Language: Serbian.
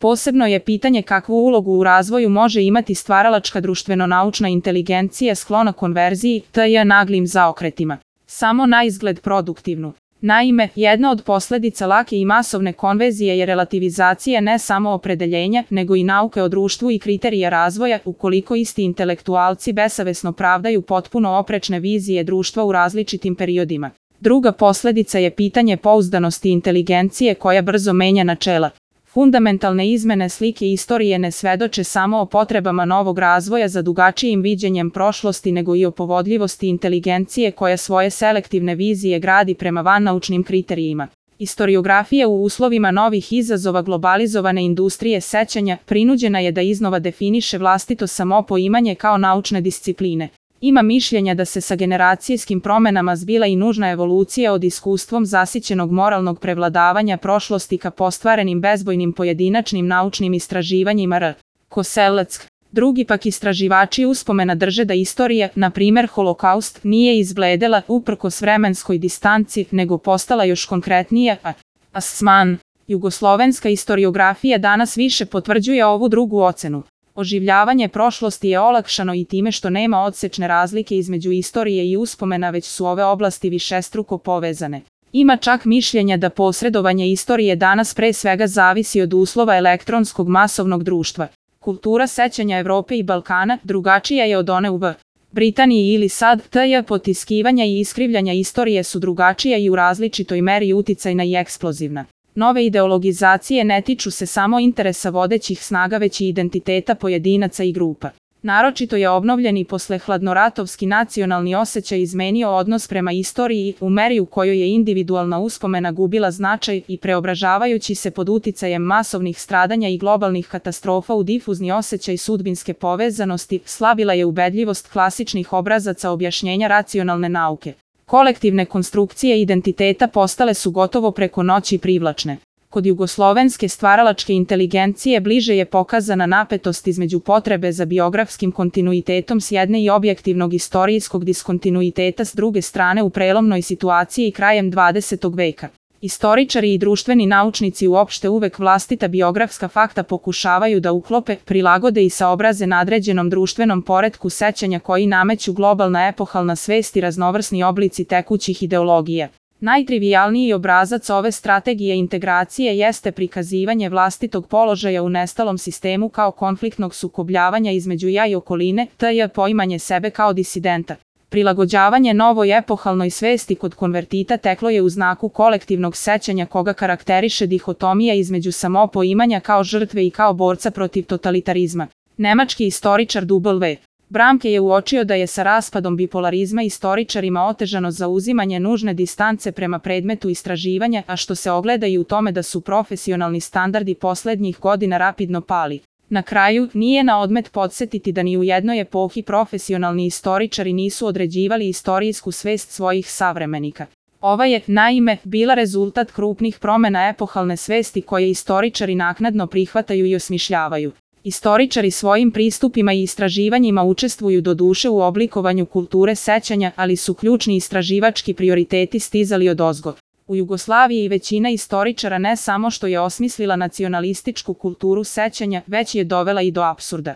Posebno je pitanje kakvu ulogu u razvoju može imati stvaralačka društveno-naučna inteligencija sklona konverziji, tj. naglim zaokretima. Samo na izgled produktivnu. Naime, jedna od posljedica lake i masovne konverzije je relativizacija ne samo opredeljenja, nego i nauke o društvu i kriterija razvoja, ukoliko isti intelektualci besavesno pravdaju potpuno oprečne vizije društva u različitim periodima. Druga posljedica je pitanje pouzdanosti inteligencije koja brzo menja načela. Fundamentalne izmene slike istorije ne svedoče samo o potrebama novog razvoja za drugačijim viđenjem prošlosti, nego i o povodljivosti inteligencije koja svoje selektivne vizije gradi prema vannaučnim kriterijima. Istoriografija u uslovima novih izazova globalizovane industrije sećanja prinuđena je da iznova definiše vlastito samopoimanje kao naučne discipline. Ima mišljenja da se sa generacijskim promenama zbila i nužna evolucija od iskustvom zasićenog moralnog prevladavanja prošlosti ka postvarenim bezbojnim pojedinačnim naučnim istraživanjima R. Koseleck. Drugi pak istraživači uspomena drže da istorija, na primjer Holokaust, nije izbledela uprkos vremenskoj distanci, nego postala još konkretnija. Asman. Jugoslovenska istoriografija danas više potvrđuje ovu drugu ocenu. Oživljavanje prošlosti je olakšano i time što nema odsečne razlike između istorije i uspomena, već su ove oblasti višestruko povezane. Ima čak mišljenja da posredovanje istorije danas pre svega zavisi od uslova elektronskog masovnog društva. Kultura sećanja Evrope i Balkana drugačija je od one u Britaniji ili SAD, tj. potiskivanja i iskrivljanja istorije su drugačija i u različitoj meri uticajna i eksplozivna. Nove ideologizacije ne tiču se samo interesa vodećih snaga, već i identiteta pojedinaca i grupa. Naročito je obnovljeni posle hladnoratovski nacionalni osjećaj izmenio odnos prema istoriji u meri u kojoj je individualna uspomena gubila značaj i preobražavajući se pod uticajem masovnih stradanja i globalnih katastrofa u difuzni osjećaj sudbinske povezanosti, slabila je ubedljivost klasičnih obrazaca objašnjenja racionalne nauke. Kolektivne konstrukcije identiteta postale su gotovo preko noći privlačne. Kod jugoslovenske stvaralačke inteligencije bliže je pokazana napetost između potrebe za biografskim kontinuitetom s jedne i objektivnog istorijskog diskontinuiteta s druge strane u prelomnoj situaciji krajem 20. veka. Istoričari i društveni naučnici uopšte uvek vlastita biografska fakta pokušavaju da uklope, prilagode i saobraze nadređenom društvenom poretku sećanja koji nameću globalna epohalna svest i raznovrsni oblici tekućih ideologija. Najtrivijalniji obrazac ove strategije integracije jeste prikazivanje vlastitog položaja u nestalom sistemu kao konfliktnog sukobljavanja između ja i okoline, tj. poimanje sebe kao disidenta. Prilagođavanje novoj epohalnoj svesti kod konvertita teklo je u znaku kolektivnog sećanja koga karakteriše dihotomija između samopoimanja kao žrtve i kao borca protiv totalitarizma. Nemački istoričar W. Bramke je uočio da je sa raspadom bipolarizma istoričarima otežano zauzimanje nužne distance prema predmetu istraživanja, a što se ogleda i u tome da su profesionalni standardi poslednjih godina rapidno pali. Na kraju, nije na odmet podsjetiti da ni u jednoj epohi profesionalni istoričari nisu određivali istorijsku svest svojih savremenika. Ova je, naime, bila rezultat krupnih promena epohalne svesti koje istoričari naknadno prihvataju i osmišljavaju. Istoričari svojim pristupima i istraživanjima učestvuju doduše u oblikovanju kulture sećanja, ali su ključni istraživački prioriteti stizali odozgo. U Jugoslaviji većina istoričara ne samo što je osmislila nacionalističku kulturu sećanja, već je dovela i do apsurda.